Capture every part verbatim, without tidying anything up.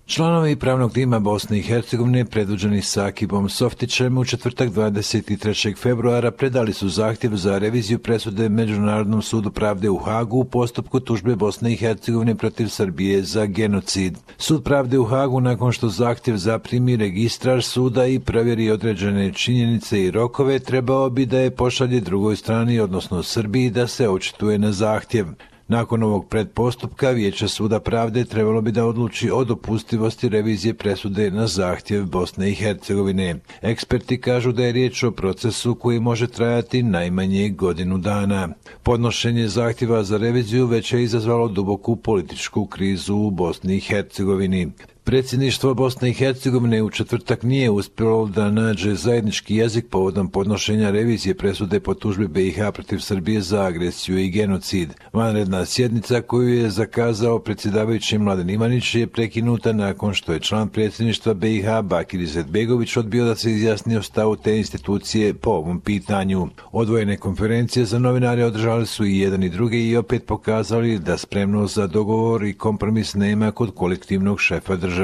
Članovi pravnog tima Bosne i Hercegovine predvođeni Sakibom Softićem u četvrtak dvadeset trećeg februara predali su zahtjev za reviziju presude Međunarodnom sudu pravde u Hagu u postupku tužbe Bosne i Hercegovine protiv Srbije za genocid. Sud pravde u Hagu, nakon što zahtjev zaprimi registrar suda i provjeri određene činjenice i rokove, trebao bi da je pošalje drugoj strani, odnosno Srbiji, da se očituje na zahtjev. Nakon ovog predpostupka, Vijeće suda pravde trebalo bi da odluči o dopustivosti revizije presude na zahtjev Bosne i Hercegovine. Eksperti kažu da je riječ o procesu koji može trajati najmanje godinu dana. Podnošenje zahtjeva za reviziju već je izazvalo duboku političku krizu u Bosni i Hercegovini. Predsjedništvo Bosne i Hercegovine u četvrtak nije uspjelo da nađe zajednički jezik povodom podnošenja revizije presude po tužbi B i H protiv Srbije za agresiju i genocid. Vanredna sjednica koju je zakazao predsjedavajući Mladen Ivanić je prekinuta nakon što je član predsjedništva B i H Bakir Izetbegović odbio da se izjasni o stavu te institucije po ovom pitanju. Odvojene konferencije za novinare održali su i jedan i drugi i opet pokazali da spremnost za dogovor i kompromis nema kod kolektivnog šefa države.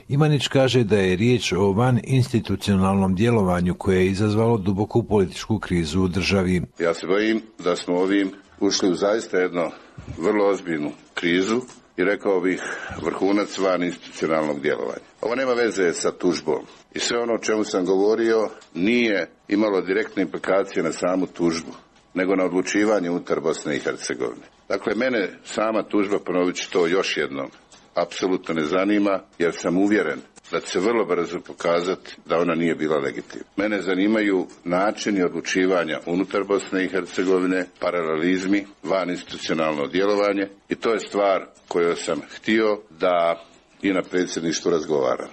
Ivanić kaže da je riječ o van institucionalnom djelovanju koje je izazvalo duboku političku krizu u državi. Ja se bojim da smo ovim ušli u zaista jednu vrlo ozbiljnu krizu i rekao bih vrhunac van institucionalnog djelovanja. Ovo nema veze sa tužbom i sve ono o čemu sam govorio nije imalo direktne implikacije na samu tužbu, nego na odlučivanje unutar Bosne i Hercegovine. Dakle, mene sama tužba, ponovit ću to još jednom, apsolutno ne zanima, jer sam uvjeren da će se vrlo brzo pokazati da ona nije bila legitimna. Mene zanimaju načini odlučivanja unutar Bosne i Hercegovine, paralelizmi, van institucionalno djelovanje i to je stvar koju sam htio da i na predsjedništvu razgovaram.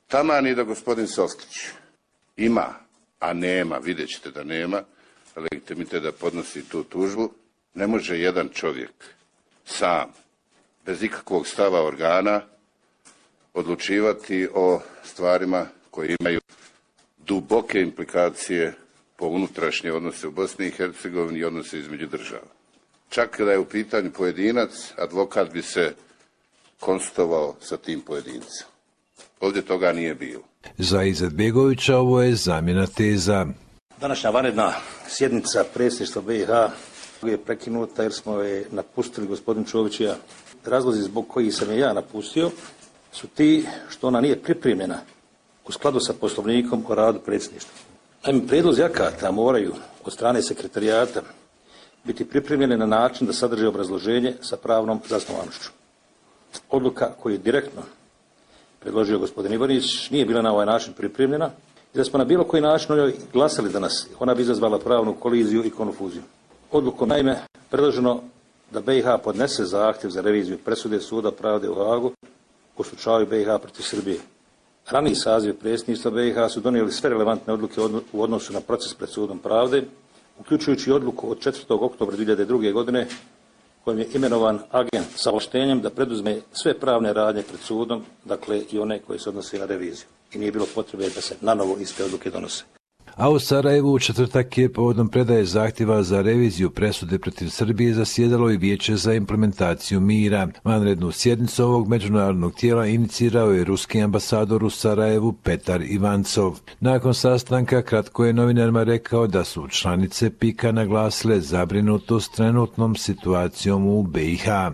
Taman i da gospodin Softić ima, a nema, vidjet ćete da nema, legitimitet da podnosi tu tužbu, ne može jedan čovjek sam, bez ikakvog stava organa, odlučivati o stvarima koje imaju duboke implikacije po unutrašnje odnose u Bosni i Hercegovini i odnose između država. Čak kada je u pitanju pojedinac, advokat bi se konsultovao sa tim pojedincem. Ovdje toga nije bilo. Za Izetbegovića ovo je zamjena teza. Današnja vanredna sjednica predsjedništva B i H je prekinuta jer smo je napustili gospodin Čović i ja. Razlozi zbog kojih sam je ja napustio su ti što ona nije pripremljena u skladu sa poslovnikom o radu predsjedništva. Naime, prijedlozi akata moraju od strane sekretarijata biti pripremljene na način da sadrže obrazloženje sa pravnom zasnovanošću. Odluka koju je direktno predložio gospodin Ivanić nije bila na ovaj način pripremljena i da smo na bilo koji način o njoj glasali danas, ona bi izazvala pravnu koliziju i konfuziju. Odlukom naime predloženo da B i H podnese zahtjev za reviziju presude Suda pravde u Hagu u slučaju B i H protiv Srbije. Raniji saziv predsjedništva B i H su donijeli sve relevantne odluke u odnosu na proces pred Sudom pravde, uključujući odluku od četvrtog oktobra dvije hiljade druge. godine kojim je imenovan agent sa ovlaštenjem da preduzme sve pravne radnje pred sudom, dakle i one koje se odnose na reviziju. I nije bilo potrebe da se na novo iste odluke donose. A u Sarajevu u četvrtak je povodom predaje zahtjeva za reviziju presude protiv Srbije zasjedalo i Vijeće za implementaciju mira. Vanrednu sjednicu ovog međunarodnog tijela inicirao je ruski ambasador u Sarajevu Petar Ivancov. Nakon sastanka kratko je novinarima rekao da su članice pika naglasile zabrinutost trenutnom situacijom u B i H.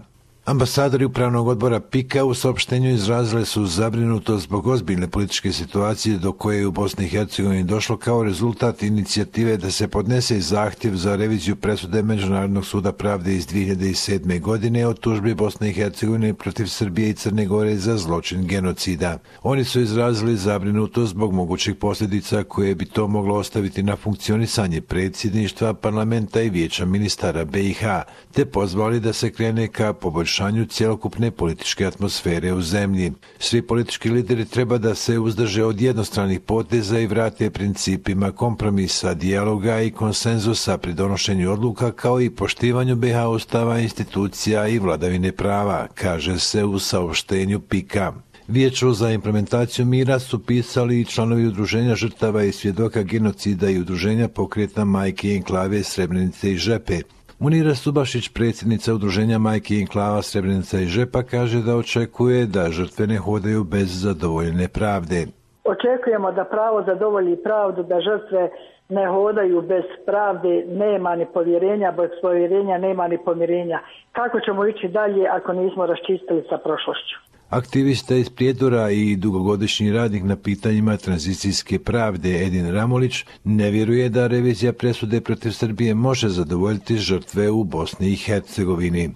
Ambasadori Upravnog odbora pika u saopštenju izrazili su zabrinutost zbog ozbiljne političke situacije do koje je u Bosni i Hercegovini došlo kao rezultat inicijative da se podnese zahtjev za reviziju presude Međunarodnog suda pravde iz dvije hiljade sedme. godine o tužbi Bosne i Hercegovine protiv Srbije i Crne Gore za zločin genocida. Oni su izrazili zabrinutost zbog mogućih posljedica koje bi to moglo ostaviti na funkcionisanje predsjedništva, parlamenta i vijeća ministara B i H, te pozvali da se krene ka poboljšanju cjelokupne političke atmosfere u zemlji. Svi politički lideri treba da se uzdrže od jednostranih poteza i vrate principima kompromisa, dijaloga i konsenzusa pri donošenju odluka, kao i poštivanju B i H ustava, institucija i vladavine prava, kaže se u saopštenju pika. Vijeću za implementaciju mira su pisali i članovi udruženja žrtava i svjedoka genocida i udruženja Pokreta majke i enklave Srebrenice i Žepe. Munira Subašić, predsjednica udruženja Majki i Enklava Srebrenica i Žepa, kaže da očekuje da žrtve ne hodaju bez zadovoljene pravde. Očekujemo da pravo zadovolji pravdu, da žrtve ne hodaju bez pravde, nema ni povjerenja, bez povjerenja nema ni pomirenja. Kako ćemo ići dalje ako nismo raščistili sa prošlošću? Aktivista iz Prijedora i dugogodišnji radnik na pitanjima tranzicijske pravde Edin Ramolić ne vjeruje da revizija presude protiv Srbije može zadovoljiti žrtve u Bosni i Hercegovini.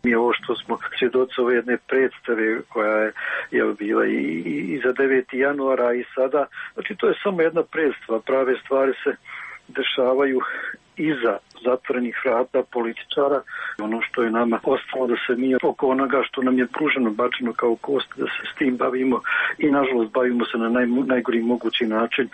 Mi ovo što smo svjedoci ove jedne predstave koja je, je bila i, i za deveti januara i sada, znači to je samo jedna predstava, prave stvari se dešavaju iza zatvorenih vrata političara. Ono što je nama ostalo da se mi oko onoga što nam je pruženo, bačeno kao kost, da se s tim bavimo i nažalost bavimo se na naj, najgori mogući način,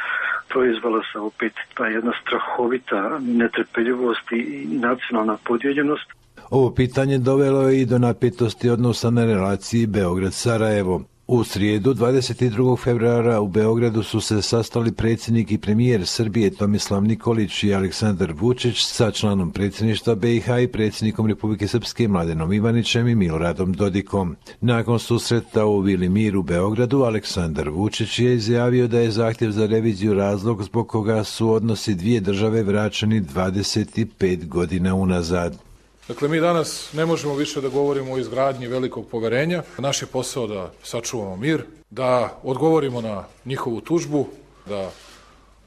proizvala se opet ta jedna strahovita netrpeljivost i, i nacionalna podijeljenost. Ovo pitanje dovelo je i do napetosti odnosa na relaciji Beograd-Sarajevo. U srijedu, dvadeset drugog februara, u Beogradu su se sastali predsjednik i premijer Srbije Tomislav Nikolić i Aleksandar Vučić sa članom predsjedništva B i H i predsjednikom Republike Srpske Mladenom Ivanićem i Miloradom Dodikom. Nakon susreta u Vili Mir u Beogradu, Aleksandar Vučić je izjavio da je zahtjev za reviziju razlog zbog koga su odnosi dvije države vraćeni dvadeset pet godina unazad. Dakle, mi danas ne možemo više da govorimo o izgradnji velikog poverenja. Naš je posao da sačuvamo mir, da odgovorimo na njihovu tužbu, da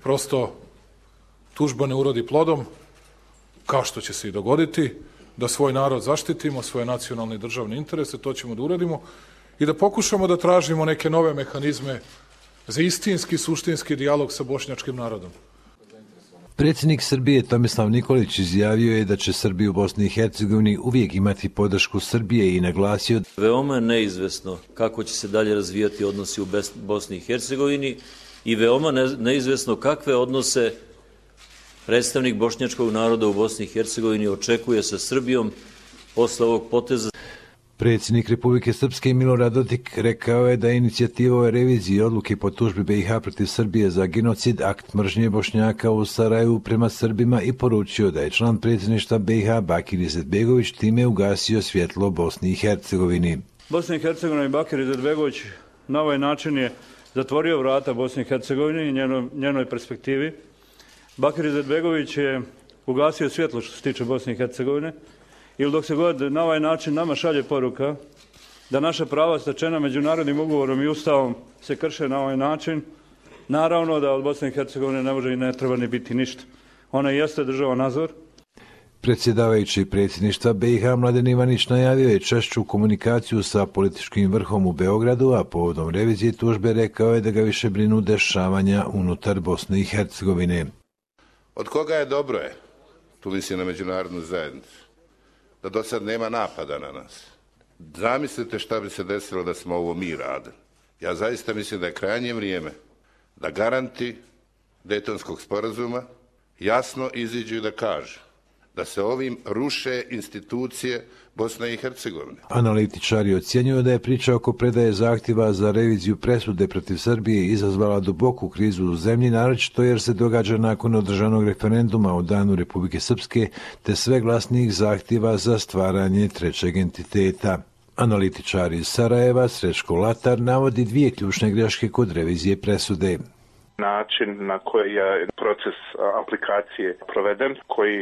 prosto tužba ne urodi plodom, kao što će se i dogoditi, da svoj narod zaštitimo, svoje nacionalne i državne interese, to ćemo da uradimo i da pokušamo da tražimo neke nove mehanizme za istinski, suštinski dijalog sa bošnjačkim narodom. Predsjednik Srbije Tomislav Nikolić izjavio je da će Srbi u Bosni i Hercegovini uvijek imati podršku Srbije i naglasio: veoma je neizvesno kako će se dalje razvijati odnosi u Bosni i Hercegovini i veoma neizvesno kakve odnose predstavnik bošnjačkog naroda u Bosni i Hercegovini očekuje sa Srbijom posle ovog poteza. Predsjednik Republike Srpske Milorad Dodik rekao je da je inicijativa o reviziji odluke po tužbi B i H protiv Srbije za genocid akt mržnje Bošnjaka u Sarajevu prema Srbima i poručio da je član predsjedništva B i H Bakir Izetbegović time ugasio svjetlo Bosni i Hercegovini. Bosna i Hercegovina i Bakir Izetbegović na ovaj način je zatvorio vrata Bosni i Hercegovini i njenoj, njenoj perspektivi. Bakir Izetbegović je ugasio svjetlo što se tiče Bosne i Hercegovine. Ili dok se god na ovaj način nama šalje poruka da naša prava stečena međunarodnim ugovorom i ustavom se krše na ovaj način, naravno da od Bosne i Hercegovine ne može i ne treba ni biti ništa. Ona jeste država nadzor. Predsjedavajući predsjedništva B i H Mladen Ivanić najavio je češću komunikaciju sa političkim vrhom u Beogradu, a povodom revizije tužbe rekao je da ga više brinu dešavanja unutar Bosne i Hercegovine. Od koga je dobro je, tu misli na međunarodnu zajednicu, da do sad nema napada na nas. Zamislite šta bi se desilo da smo ovo mi radili. Ja zaista mislim da je krajnje vrijeme da garanti Dejtonskog sporazuma jasno iziđu i da kažu da se ovim ruše institucije Bosne i Hercegovine. Analitičari ocjenjuju da je priča oko predaje zahtjeva za reviziju presude protiv Srbije izazvala duboku krizu u zemlji, naročito jer se događa nakon održanog referenduma o danu Republike Srpske te sve glasnijih zahtjeva za stvaranje trećeg entiteta. Analitičari iz Sarajeva Srećko Latar navodi dvije ključne greške kod revizije presude. Način na koji je proces aplikacije proveden, koji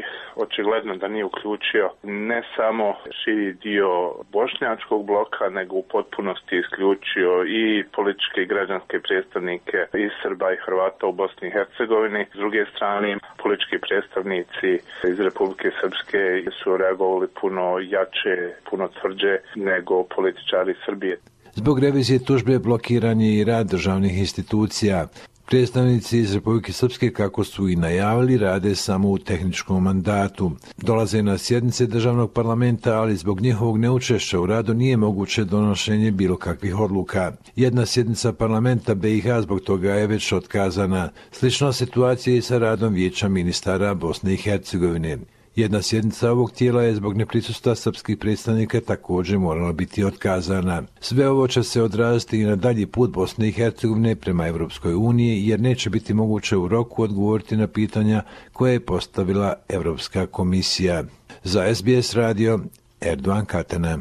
očigledno da nije uključio ne samo širi dio bošnjačkog bloka, nego u potpunosti isključio i političke i građanske predstavnike iz Srba i Hrvata u Bosni i Hercegovini. S druge strane, politički predstavnici iz Republike Srpske su reagovali puno jače, puno tvrđe nego političari Srbije. Zbog revizije tužbe blokiran je i rad državnih institucija. Predstavnici iz Republike Srpske, kako su i najavili, rade samo u tehničkom mandatu. Dolaze na sjednice državnog parlamenta, ali zbog njihovog neučešća u radu nije moguće donošenje bilo kakvih odluka. Jedna sjednica parlamenta B i H zbog toga je već otkazana. Slična situacija i sa radom Vijeća ministara Bosne i Hercegovine. Jedna sjednica ovog tijela je zbog neprisustva srpskih predstavnika također morala biti otkazana. Sve ovo će se odraziti i na dalji put Bosne i Hercegovine prema Evropskoj uniji, jer neće biti moguće u roku odgovoriti na pitanja koje je postavila Evropska komisija. Za S B S radio, Erdogan Katana.